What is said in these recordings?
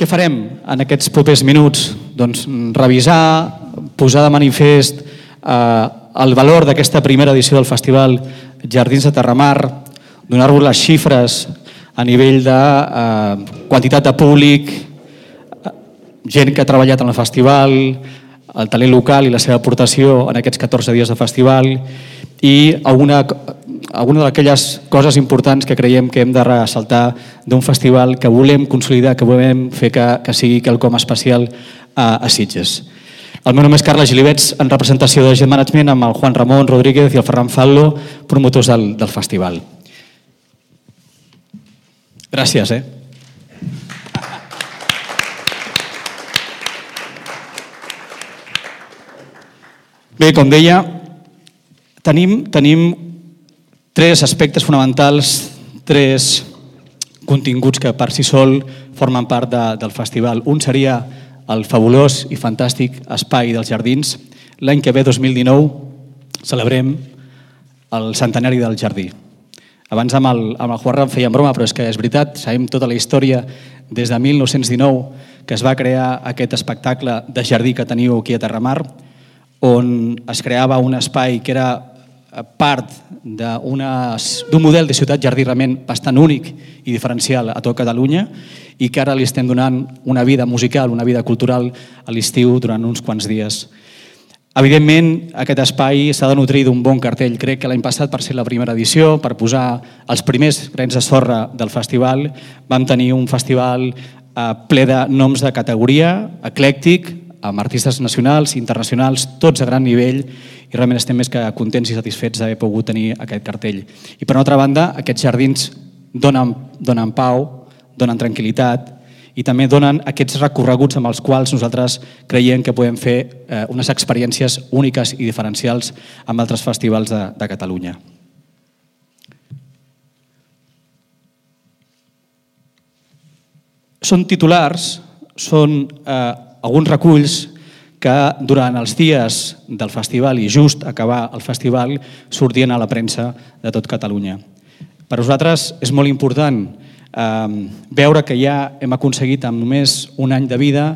Què farem en aquests propers minuts? Doncs revisar, posar de manifest el valor d'aquesta primera edició del Festival Jardins de Terramar, donar-vos les xifres a nivell de quantitat de públic, gent que ha treballat en el festival, el talent local i la seva aportació en aquests 14 dies de festival i alguna d'aquelles coses importants que creiem que hem de ressaltar d'un festival que volem consolidar, que volem fer que sigui quelcom especial a Sitges. El meu nom és Carles Gilibets, en representació de Gent Management, amb el Juan Ramon Rodríguez i el Ferran Fallo, promotors del festival. Gràcies. Bé, com deia, tenim tres aspectes fonamentals, tres continguts que per si sol formen part del festival. Un seria el fabulós i fantàstic espai dels jardins. L'any que ve, 2019, celebrem el centenari del jardí. Abans amb el Juan fèiem broma, però és que és veritat, sabem tota la història des de 1919 que es va crear aquest espectacle de jardí que teniu aquí a Terramar, on es creava un espai que era part d'un model de ciutat-jardí realment bastant únic i diferencial a tot Catalunya i que ara li estem donant una vida musical, una vida cultural a l'estiu durant uns quants dies. Evidentment, aquest espai s'ha de nutrir d'un bon cartell. Crec que l'any passat, per ser la primera edició, per posar els primers grans de sorra del festival, vam tenir un festival ple de noms de categoria, eclèctic, amb artistes nacionals i internacionals, tots a gran nivell, i realment estem més que contents i satisfets d'haver pogut tenir aquest cartell. I per una altra banda, aquests jardins donen pau, donen tranquil·litat i també donen aquests recorreguts amb els quals nosaltres creiem que podem fer unes experiències úniques i diferencials amb altres festivals de Catalunya. Són titulars, són alguns reculls que durant els dies del festival i just acabar el festival sortien a la premsa de tot Catalunya. Per nosaltres és molt important veure que ja hem aconseguit amb només un any de vida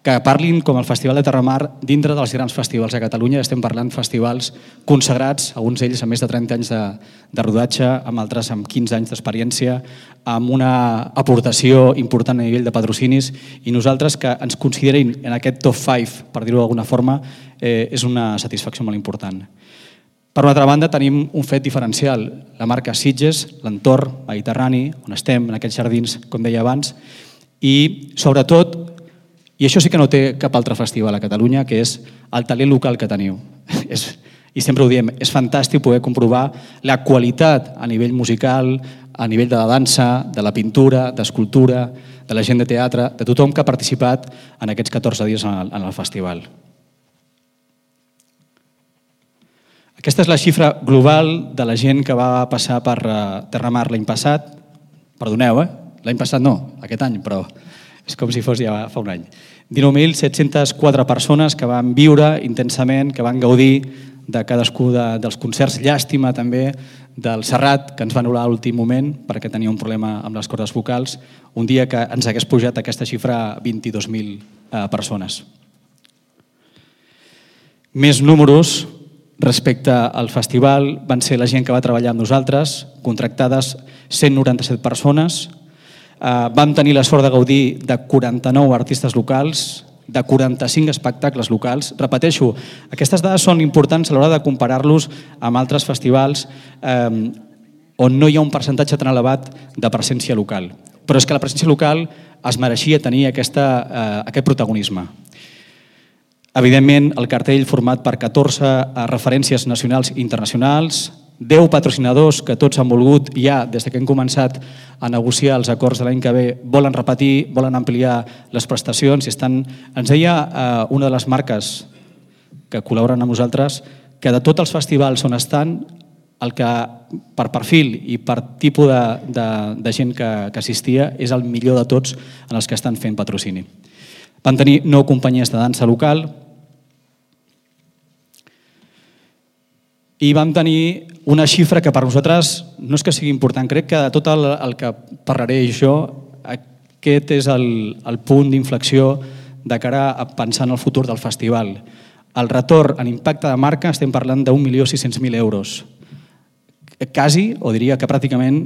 que parlin com el Festival de Terramar dintre dels grans festivals de Catalunya. Estem parlant festivals consagrats, alguns d'ells amb més de 30 anys de rodatge, amb altres amb 15 anys d'experiència, amb una aportació important a nivell de patrocinis, i nosaltres que ens considerin en aquest top 5, per dir-ho d'alguna forma, és una satisfacció molt important. Per una altra banda, tenim un fet diferencial, la marca Sitges, l'entorn mediterrani, on estem, en aquests jardins, com deia abans, i sobretot, i això sí que no té cap altre festival a Catalunya, que és el talent local que teniu. I sempre ho diem, és fantàstic poder comprovar la qualitat a nivell musical, a nivell de la dansa, de la pintura, d'escultura, de la gent de teatre, de tothom que ha participat en aquests 14 dies en el festival. Aquesta és la xifra global de la gent que va passar per Terramar l'any passat. Perdoneu, l'any passat no, aquest any, però és com si fos ja fa un any. 19.704 persones que van viure intensament, que van gaudir de cadascú dels concerts. Llàstima també del Serrat, que ens va anul·lar a l'últim moment perquè tenia un problema amb les cordes vocals, un dia que ens hagués pujat aquesta xifra a 22.000 persones. Més números respecte al festival van ser la gent que va treballar amb nosaltres, contractades 197 persones. Vam tenir la sort de gaudir de 49 artistes locals, de 45 espectacles locals. Repeteixo, aquestes dades són importants a l'hora de comparar-los amb altres festivals on no hi ha un percentatge tan elevat de presència local. Però és que la presència local es mereixia tenir aquest protagonisme. Evidentment, el cartell format per 14 referències nacionals i internacionals, 10 patrocinadors que tots han volgut ja, des que hem començat a negociar els acords de l'any que ve, volen repetir, volen ampliar les prestacions. Ens deia una de les marques que col·laboren amb nosaltres que de tots els festivals on estan, el que per perfil i per tipus de gent que assistia és el millor de tots en els que estan fent patrocini. Van tenir 9 companyies de dansa local i vam tenir una xifra que per nosaltres no és que sigui important. Crec que de tot el que parlaré jo, aquest és el punt d'inflexió de cara a pensar en el futur del festival. El retorn en impacte de marca estem parlant d'1.600.000 euros. Quasi, o diria que pràcticament,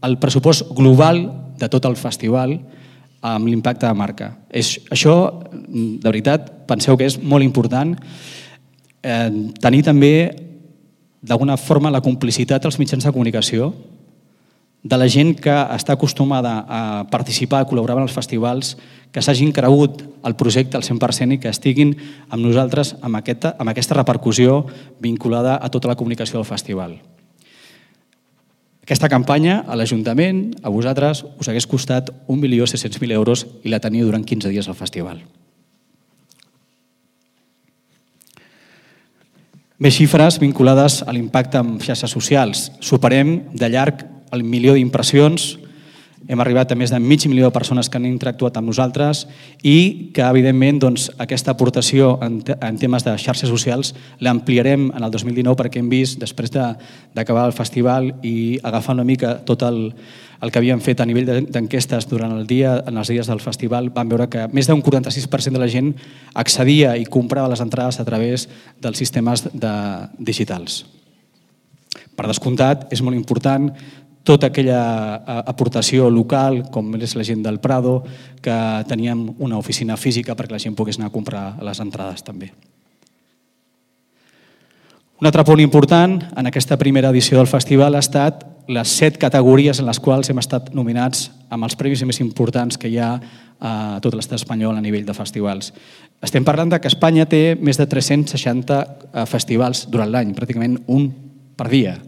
el pressupost global de tot el festival amb l'impacte de marca. Això, de veritat, penseu que és molt important. Tenir també, d'alguna forma, la complicitat dels mitjans de comunicació, de la gent que està acostumada a participar, a col·laborar en els festivals, que s'hagin cregut el projecte al 100% i que estiguin amb nosaltres amb aquesta repercussió vinculada a tota la comunicació del festival. Aquesta campanya, a l'Ajuntament, a vosaltres, us hagués costat 1.600.000 euros i la teniu durant 15 dies al festival. Més xifres vinculades a l'impacte en xarxes socials. Superem de llarg el 1.000.000 d'impressions, hem arribat a més de 500.000 de persones que han interactuat amb nosaltres i que, evidentment, aquesta aportació en temes de xarxes socials l'ampliarem en el 2019 perquè hem vist, després d'acabar el festival i agafar una mica tot el que havíem fet a nivell d'enquestes durant el dia, en els dies del festival, vam veure que més d'un 46% de la gent accedia i comprava les entrades a través dels sistemes digitals. Per descomptat, és molt important tota aquella aportació local, com és la gent del Prado, que teníem una oficina física perquè la gent pogués anar a comprar les entrades també. Un altre punt important en aquesta primera edició del festival ha estat les 7 categories en les quals hem estat nominats amb els premis més importants que hi ha a tot l'estat espanyol a nivell de festivals. Estem parlant que Espanya té més de 360 festivals durant l'any, pràcticament un per dia,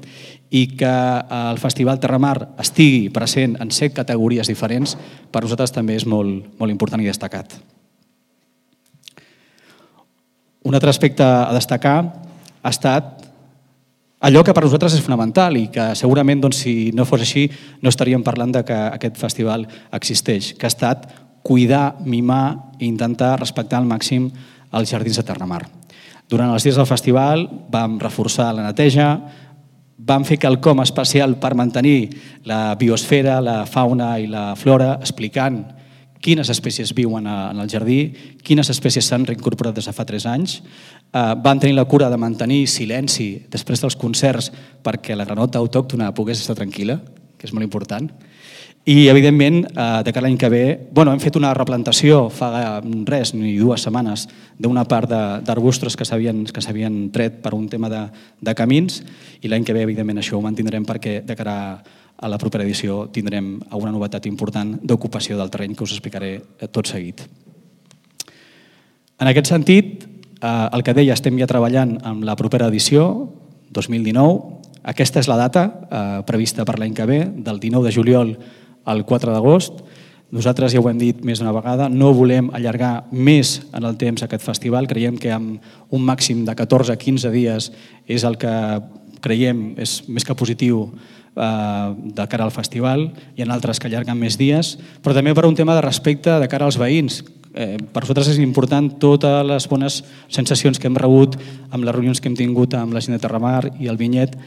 i que el Festival Terramar estigui present en 7 categories diferents, per nosaltres també és molt important i destacat. Un altre aspecte a destacar ha estat allò que per nosaltres és fonamental i que segurament, si no fos així, no estaríem parlant que aquest festival existeix, que ha estat cuidar, mimar i intentar respectar al màxim els jardins de Terramar. Durant els dies del festival vam reforçar la neteja, vam fer quelcom especial per mantenir la biosfera, la fauna i la flora, explicant quines espècies viuen en el jardí, quines espècies s'han reincorporat des de fa 3 anys. Vam tenir la cura de mantenir silenci després dels concerts perquè la granota autòctona pogués estar tranquil·la, que és molt important. I, evidentment, de cara a l'any que ve, hem fet una replantació fa ni 2 setmanes d'una part d'arbustos que s'havien tret per un tema de camins i l'any que ve, evidentment, això ho mantindrem perquè de cara a la propera edició tindrem alguna novetat important d'ocupació del terreny que us explicaré tot seguit. En aquest sentit, el que deia, estem ja treballant amb la propera edició, 2019. Aquesta és la data prevista per l'any que ve, del 19 de juliol al 4 d'agost. Nosaltres ja ho hem dit més d'una vegada, no volem allargar més en el temps aquest festival. Creiem que amb un màxim de 14-15 dies és el que creiem és més que positiu de cara al festival. Hi ha altres que allarguen més dies, però també per un tema de respecte de cara als veïns. Per nosaltres és important totes les bones sensacions que hem rebut amb les reunions que hem tingut amb la gent de Terramar i el Vinyet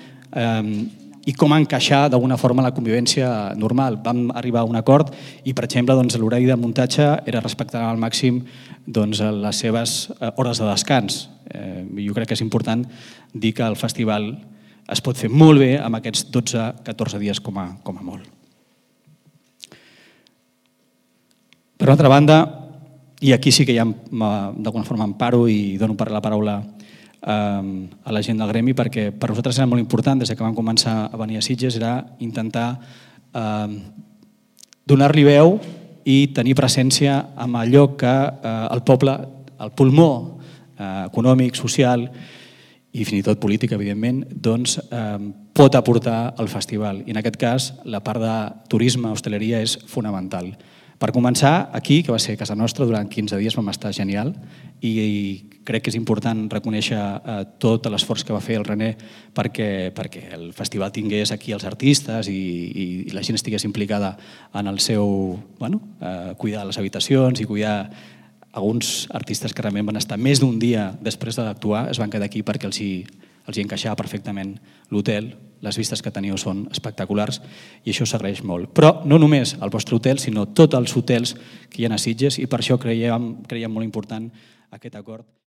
i com encaixar d'alguna forma la convivència normal. Vam arribar a un acord i, per exemple, l'horari de muntatge era respectar al màxim les seves hores de descans. Jo crec que és important dir que el festival es pot fer molt bé amb aquests 12-14 dies com a molt. Per una altra banda, i aquí sí que ja d'alguna forma em paro i dono la paraula a la gent del gremi, perquè per nosaltres era molt important, des que vam començar a venir a Sitges, era intentar donar-li veu i tenir presència amb allò que el poble, el pulmó econòmic, social i fins i tot polític, evidentment, pot aportar al festival. I en aquest cas, la part de turisme, hostaleria, és fonamental. Per començar, aquí, que va ser casa nostra, durant 15 dies vam estar genial i crec que és important reconèixer tot l'esforç que va fer el René perquè el festival tingués aquí els artistes i la gent estigués implicada en el seu cuidar les habitacions i cuidar alguns artistes que realment van estar més d'un dia després d'actuar, es van quedar aquí perquè els hi encaixava perfectament l'hotel les vistes que teniu són espectaculars i això s'agraeix molt. Però no només el vostre hotel, sinó tots els hotels que hi ha a Sitges i per això creiem molt important aquest acord.